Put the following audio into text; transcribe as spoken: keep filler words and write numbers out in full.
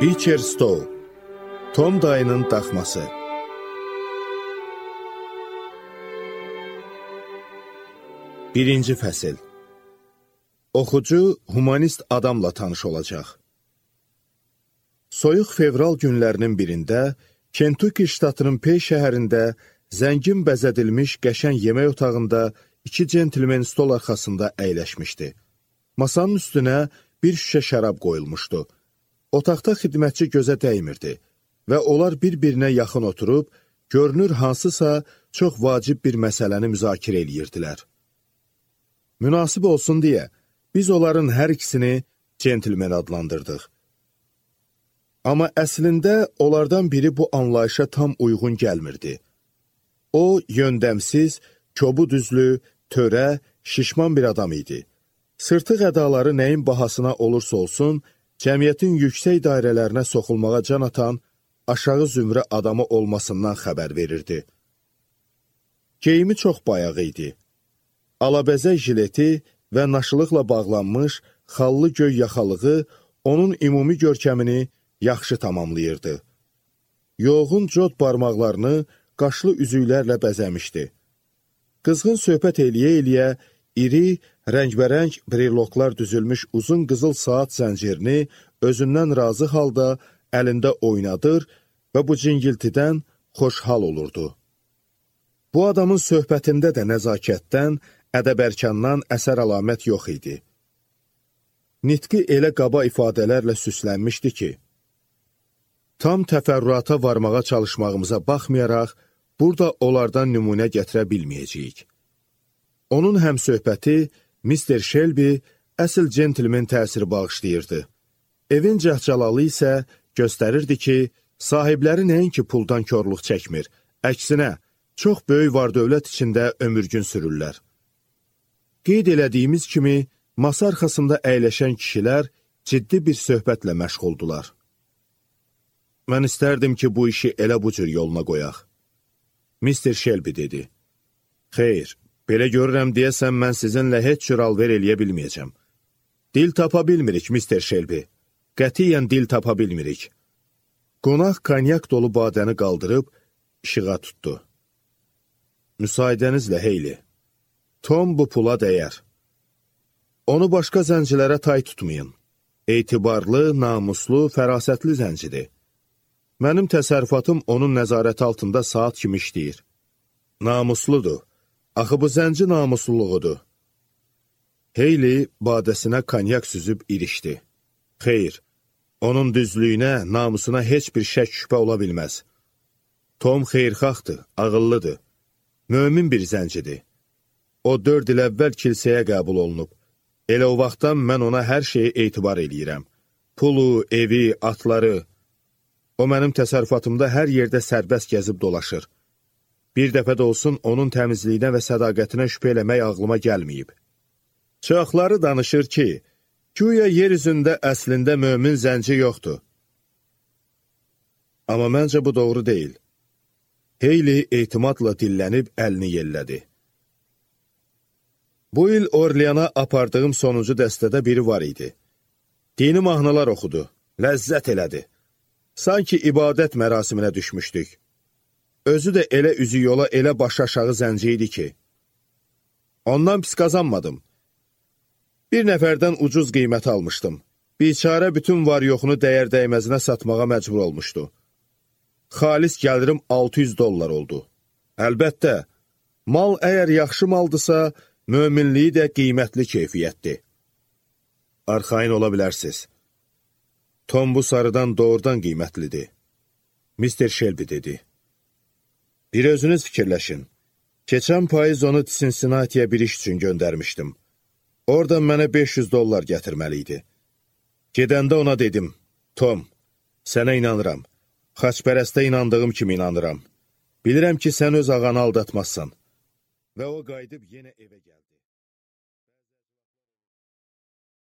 Beecher Stowe, Tom dayının daxması. Birinci fəsil. Oxucu humanist adamla tanış olacaq. Soyuq fevral günlərinin birində Kentucky ştatının Pey şəhərində zəngin bəzədilmiş qəşəng yemək otağında iki centlmen stol arxasında əyləşmişdi. Masanın üstünə bir şüşə şərab qoyulmuşdu. Otaqda xidmətçi gözə dəymirdi və onlar bir-birinə yaxın oturub, görünür hansısa çox vacib bir məsələni müzakirə edirdilər. Münasib olsun deyə, biz onların hər ikisini centlmen adlandırdıq. Amma əslində onlardan biri bu anlayışa tam uyğun gəlmirdi. O, yöndəmsiz, kobud üzlü, törə, şişman bir adam idi. Sırtıq ədaları nəyin bahasına olursa olsun, cəmiyyətin yüksək dairələrinə soxulmağa can atan, aşağı zümrə adamı olmasından xəbər verirdi. Geyimi çox bayaq idi. Alabəzək jileti və naşılıqla bağlanmış, xallı göy yaxalığı onun ümumi görkəmini yaxşı tamamlayırdı. Yoğun cod barmaqlarını qaşlı üzüklərlə bəzəmişdi. Qızğın söhbət eləyə-eləyə iri, rəngbərəng breloklar düzülmüş uzun qızıl saat zəncirini özündən razı halda əlində oynadır və bu cingiltidən xoşhal olurdu. Bu adamın söhbətində də nəzakətdən, ədəbərkandan əsər əlamət yox idi. Nitqi elə qaba ifadələrlə süslənmişdi ki, tam təfərrüata varmağa çalışmağımıza baxmayaraq, burada onlardan nümunə gətirə bilməyəcəyik. Onun həmsöhbəti mister Shelby əsl centlmen təsiri bağışlayırdı. Evin cəhcəlalı isə göstərirdi ki, sahibləri nəinki puldan körlük çəkmir, əksinə, çox böyük var-dövlət içində ömürgün sürürlər. Qeyd elədiyimiz kimi, masa arxasında əyləşən kişilər ciddi bir söhbətlə məşğuldular. Mən istərdim ki, bu işi elə bu cür yoluna qoyaq. mister Shelby dedi. Xeyr, belə görürəm deyəsən mən sizinlə heç cür alver eləyə bilməyəcəm. Dil tapa bilmirik, mister Shelby. Qətiyyən dil tapa bilmirik. Qonaq konyak dolu badəni qaldırıb, işığa tutdu. Müsaidənizlə Heyli. Tom bu pula dəyər. Onu başqa zəncilərə tay tutmayın. Etibarlı, namuslu, fərasətli zəncidir. Mənim təsərrüfatım onun nəzarəti altında saat kimi işləyir. Namusludur. Axı bu zənci namusluluğudur. Heyli badəsinə konyak süzüb irişdi. Xeyr, onun düzlüyünə, namusuna heç bir şək şübhə ola bilməz. Tom xeyrxaxdır, ağıllıdır. Mömin bir zəncidir. O dörd il əvvəl kilsəyə qəbul olunub. Elə o vaxtdan mən ona hər şeyi etibar eləyirəm. Pulu, evi, atları. O mənim təsərrüfatımda hər yerdə sərbəst gəzib dolaşır. Bir dəfə də olsun onun təmizliyinə və sədaqətinə şübhə eləmək ağlıma gəlməyib. Çoxları danışır ki, güya yer üzündə əslində mömin zənci yoxdur. Amma məncə bu doğru deyil. Heyli etimadla dillənib əlini yellədi. Bu il Orleana apardığım sonuncu dəstədə biri var idi. Dini mahnılar oxudu, ləzzət elədi. Sanki ibadət mərasiminə düşmüşdük. Özü də elə üzü yola, elə baş aşağı zənci idi ki. Ondan pis qazanmadım. Bir nəfərdən ucuz qiymət almışdım. Biçarə bütün var yoxunu dəyər dəyməzinə satmağa məcbur olmuşdu. Xalis gəlirim altı yüz dollar oldu. Əlbəttə, mal əgər yaxşı maldısa, möminliyi də qiymətli keyfiyyətdir. Arxain ola bilərsiz. Tom bu sarıdan doğrudan qiymətlidir. mister Shelby dedi. Bir özünüz fikirləşin. Keçən payız onu Cincinnati'yə bir iş üçün göndərmişdim. Oradan mənə beş yüz dollar gətirməli idi. Gedəndə ona dedim, Tom, sənə inanıram. Xaçpərəstə inandığım kimi inanıram. Bilirəm ki, sən öz ağanı aldatmazsan. Və o qayıdıb yenə evə gəldi.